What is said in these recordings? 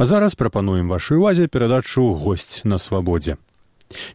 А зараз прапануем вашай увазе перадачу «Госць на свабодзе».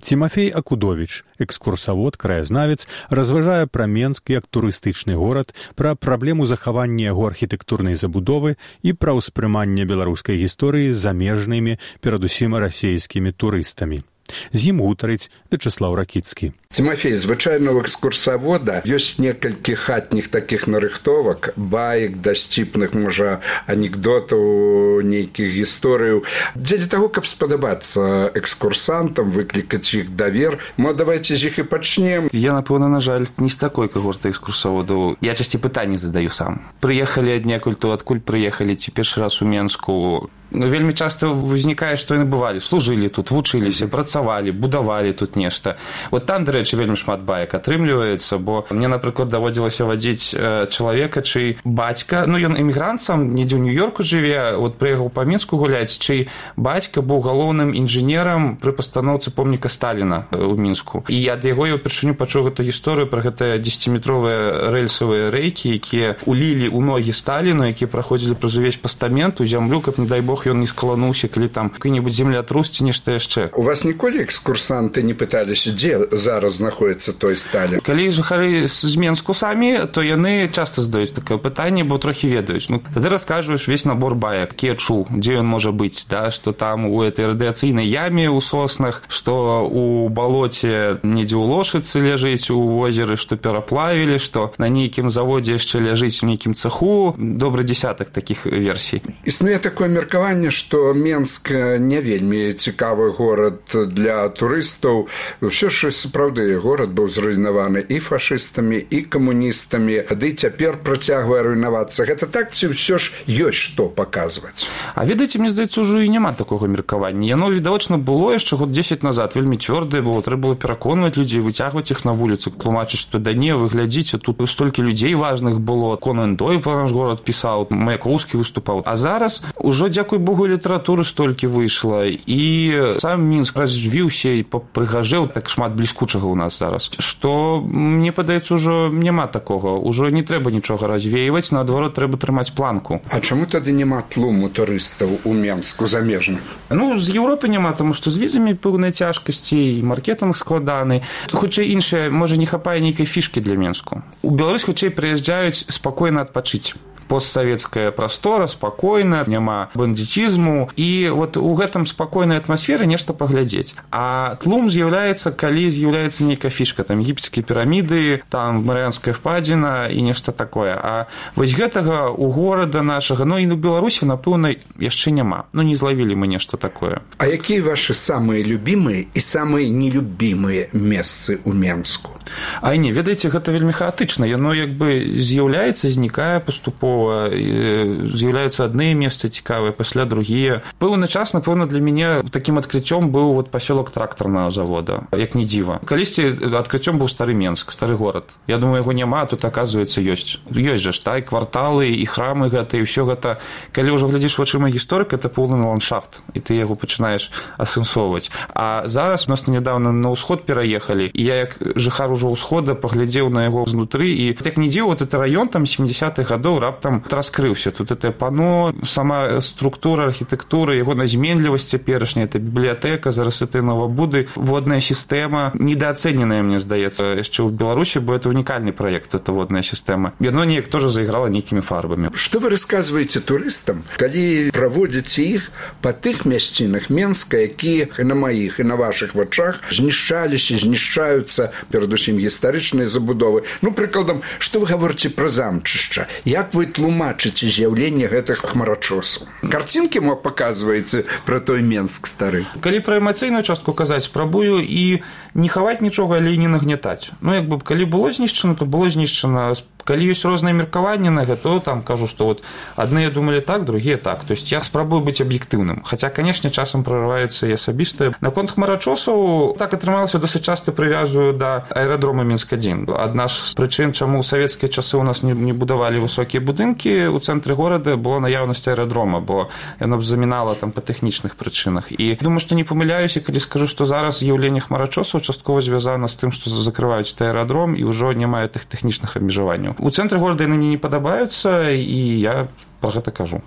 Тимофей Акудович, экскурсавод, краязнавец, разважае пра Менск як турыстычны горад, пра праблему захавання яго архітэктурнай забудовы і пра ўспрыманне беларускай гісторыі замежнымі, перадусім расійскімі турыстамі. З ім гутарыць Вячеслав Ракіцкі. Тимофей, звычайна ў экскурсавода ёсць некалькі хатніх такіх нарыхтовак, баек, дасціпных, можа, анекдотаў, нейкіх гісторыяў. Дзеля таго, каб спадабацца экскурсантам, выклікаць іх давер, давайце з іх і пачнем. Я, напэўна, на жаль, не з такой когорты экскурсаводаў. Я часці пытанні задаю сам. Прыехалі аднекуль, то адкуль прыехалі, ці першы раз у Менску. Вельмі часта ўзнікае, што яны бывалі, служылі тут, вучыліся, працавалі, будавалі тут нешта. Вот там, дарэчы, вельмі шмат баек атрымліваецца, бо мне, напрыклад, даводзілася вадзіць чалавека, чый бацька, ён эмігрант сам, недзе ў Нью-Йорку жыве, вот прыехаў па Мінску гуляць, чый бацька быў галоўным інжынерам пры пастаноўцы помніка Сталіна ў Мінску. І ад яго я ўпершыню пачуў гэту гісторыю пра гэтыя 10-метровыя рэльсавыя рэйкі, якія улілі ў ногі Сталіну, якія праходзілі праз увесь пастамент у зямлю, каб, не дай Бог, ён не скалануўся, калі там какой-нибудь землятрус ці нешта яшчэ. У вас ніколі экскурсанты не пыталіся, дзе зараз знаходіцца той Сталін? Калі жыхары з Менску самі, то яны часта задаюць такое пытанне, бо трохі ведаюць. Тады раскажваеш весь набор баек, які я чуў, дзе ён можа быць, да, што там у этой радыяцыйнай яме ў соснах, што у балоце недзе ў лошыцы ляжыць у возеры, што пераплавілі, што на нейкім заводзе яшчэ ляжыць у нейкім цеху. Добры дзесятак такіх версій. Існуе такое меркаванне, што Менск не вельмі цікавы горад для турыстаў. Ўсё ж сапраўды горад быў зруйнаваны і фашыстамі, і камуністамі, ды цяпер працягвае руйнавацца. Гэта так, ці ўсё ж ёсць што паказваць? А ведаеце, мне здаецца, ужо і няма такога меркавання. Яно, відавочна, было яшчэ год 10 назад, вельмі цвёрдае было, трэба было пераконваць людзей, выцягваць іх на вуліцу, тлумачыць, што да не, вы глядзіце, тут столькі людзей важных было. Конан Дойл пра наш горад пісаў, Маяковскі выступаў. А зараз ужо, дзякуй Богу, літаратуры столькі выйшла, і сам Мінск развіўся і прыгажэў, так шмат бліскучага ў нас зараз, што, мне падаецца, ужо няма такога, ужо не трэба нічога развейваць, наадварот, трэба трымаць планку. А чаму тады няма тлуму турыстаў у Менску замежных? З Еўропы няма, таму што з візамі пэўныя цяжкасці, і маркетынг складаны. Хутчэй іншае, можа, не хапае нейкай фішкі для Менску. У Беларусь хутчэй прыязджаюць спакойна адпачыць. Постсавецкая прастора, спакойна, няма бандитизму, і вот у гэтым спакойнай атмасферы нешта паглядзець. А тлум з'яўляецца, калі з'яўляецца нейкая фішка, там егіпецкія піраміды, там Марыянская впадзіна і нешта такое. А вось гэтага у горада нашага, і ў Беларусі, напэўна, яшчэ няма. Не злавілі мы нешта такое. А якія вашы самыя любімыя і самыя нелюбімыя месцы ў Менску? Не, ведаеце, гэта вельмі хаатычна. Яно як бы з'яўляецца, знікае паступова, з'яўляюцца адныя месцы цікавыя, пасля другія. Пэўны час, напэўна, для мяне такім адкрыццём быў пасёлак трактарнага завода, як не дзіва. Калісьці адкрыццём быў стары Менск, стары горад. Я думаю, яго няма, тут, аказваецца, ёсць. Ёсць жа ж, і кварталы, і храмы гэта, і ўсё гэта. Калі ўжо глядзіш вачыма гісторыка, это поўны ландшафт, і ты яго пачынаеш асэнсоўваць. А зараз у нас нядаўна на ўсход пераехалі, і я, як жыхар ужо ўсхода, паглядзеў на яго знутры, і як не дзіва, этот раён там 70-х гадоў раптам раскрыўся. Тут это пано, сама структура, архітэктура, яго назменлівасць цяперашняя, это бібліятэка, зараз это новабуды, водная сістэма, недаацэненая, мне здаецца, яшчэ ў Беларусі, бо это унікальны праект, это водная сістэма. Яно неяк тоже заіграла нейкімі фарбамі. Што вы расказваеце турыстам, калі праводзіце іх па тых мясцінах Менска, якія і на маіх, і на вашых вачах знішчаліся, знішчаюцца, перадусім гістарычныя забудовы? Прыкладам, што вы гаворыце пра замчышча? Як вы тлумачыце з'яўленне гэтых хмарачосаў? Карцінкі мо паказваеце пра той Менск стары? Калі пра эмацыйную частку казаць, спрабую і не хаваць нічога, але і не нагнятаць. Калі было знішчана, то было знішчана. Калі ёсць розныя меркаванні на гэта, то там кажу, што адныя думалі так, другія так. То есть я спрабую быць аб'ектыўным. Хаця, канешне, часам прарываецца і асабістае. Наконт хмарачосаў, так атрымалася, досыць часта прывязую да аэрадрома Мінск-1. Адна з прычын, чаму ў савецкія часы ў нас не будавалі высокія будынкі, у цэнтры горада была наяўнасць аэрадрома, бо яно б замінала там па тэхнічных прычынах. І думаю, што не памыляюся, калі скажу, што зараз з'яўленне хмарачосаў часткова звязана з тым, што закрываюць аэрадром і ўжо не мае тых тэхнічных абмежаванняў. У цэнтры горада яны мне не падабаюцца, і я пра гэта кажу.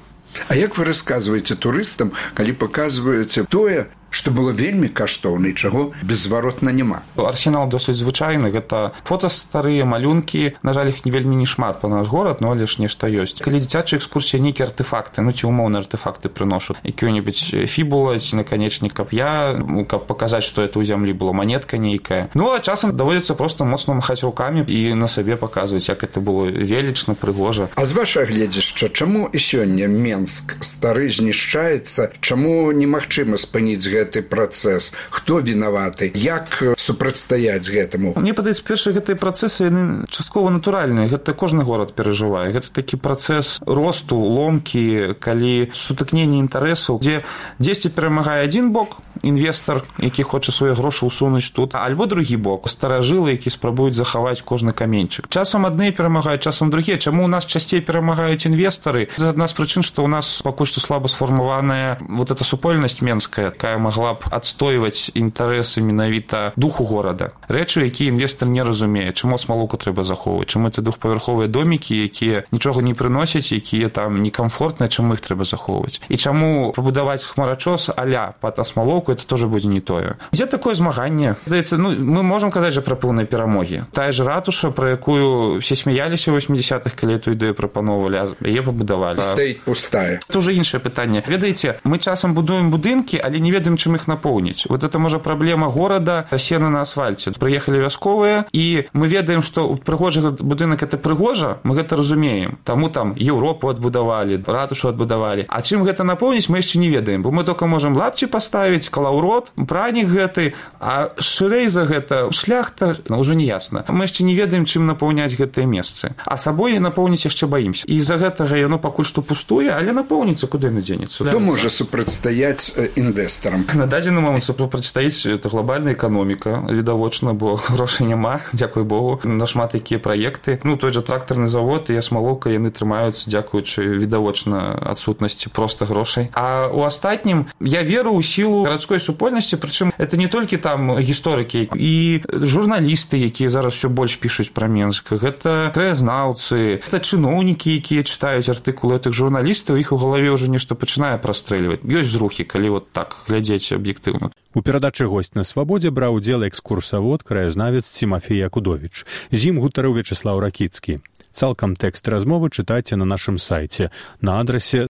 А як вы расказваеце турыстам, калі паказваеце тое, што было вельмі каштоўна і чаго беззваротна няма? Арсенал досыць звычайны, гэта фота старыя, малюнкі, на жаль, іх вельмі не шмат па наш горад, но але ж нешта ёсць. Калі дзіцячая экскурсія, нейкія артефакты, ці умоўныя артефакты прыношу, якія-небудзь фібула ці наканечнік кап'я, каб паказаць, што это ў зямлі было, манетка нейкая. Ну, а часам даводзіцца проста моцна махаць рукамі і на сабе паказваць, як это было велічна, прыгожа. А з вашага гледзяшча, чаму і сёння Менск стары знішчаецца, чаму немагчыма спыніць гэты працэс? Хто вінаваты? Як супрацьстаяць гэтаму? Мне падаецца, першыя гэтыя працэсы, яны часткова натуральныя. Гэта кожны горад перажывае. Гэта такі працэс росту, ломкі, калі сутыкненне інтарэсаў, дзе дзесьці перамагае адзін бок, інвестар, які хоча свае грошы ўсунуць тут, альбо другі бок, старажылы, які спрабуюць захаваць кожны каменьчык. Часам адны перамагаюць, часам другія. Чаму ў нас часцей перамагаюць інвестары? З адна з прычын, што ў нас пакуль што слаба сфармаваная вот эта супольнасць менская, якая магла б адстойваць інтарэсы менавіта духу горада. Рэчы, якія інвестар не разумее, чаму смалуку трэба захоўваць, чаму это двухпавярховыя домікі, якія нічога не прыносяць, якія там некамфортныя, чаму іх трэба захоўваць. І чаму пабудаваць хмарачос а-ля пад асмалоўку, это тоже будзе не тое. Дзе такое змаганне? Здаецца, мы можам казаць жа пра пэўныя перамогі. Тая ж ратуша, пра якую все смяяліся ў 80-х, калі эту ідэю прапановвалі, а яе пабудавалі. Стаіць пустая. Это уже іншае пытанне. Ведаеце, мы часам будуем будынкі, але не ведаем, чым іх напоўніць. Вот это, можа, праблема горада, сена на асфальце. Прыехалі вясковыя, і мы ведаем, што прыгожы будынак это прыгожа, мы гэта разумеем. Таму там Еўропу адбудавалі, ратушу адбудавалі. А чым гэта напоўніць, мы яшчэ не ведаем, бо мы толькі можам лапці паставіць, калаўрот, пранік гэты, а шырэй за гэта шляхта, ўжо не ясна. Мы яшчэ не ведаем, чым напоўняць гэтыя месцы. А сабой напоўніць яшчэ баімся. І з-за гэтага яно пакуль што пустуе, але напоўніцца, куды яно дзенецца. Хто можа супрацьстаяць інвестарам? На дадзены момант супрацьстаіць это глобальная эканоміка, відавочна, бо грошай няма, дзякуй Богу, на шмат якія праекты. Ну, той жа трактарны завод і асмалоўка, яны трымаюцца, дзякуючы відавочна адсутнасці проста грошай. А у астатнім я веру ў сілу гарадской супольнасці, прычым это не толькі там гісторыкі і журналісты, якія зараз усё больш пішуць пра Менск, гэта краязнаўцы, гэта чыноўнікі, якія чытаюць артыкулы гэтых журналістаў, іх у галаве ўжо нешта пачынае прастрэльваць. Ёсць зрухі, калі вот так глядзець аб'ектыўна. У перадачы «Госць на свабодзе» браў удзел экскурсавод, краязнавец Тимофей Акудович. З ім гутарыў Вячеслаў Ракіцкі. Цалкам тэкст размовы чытайце на нашым сайце на адрасе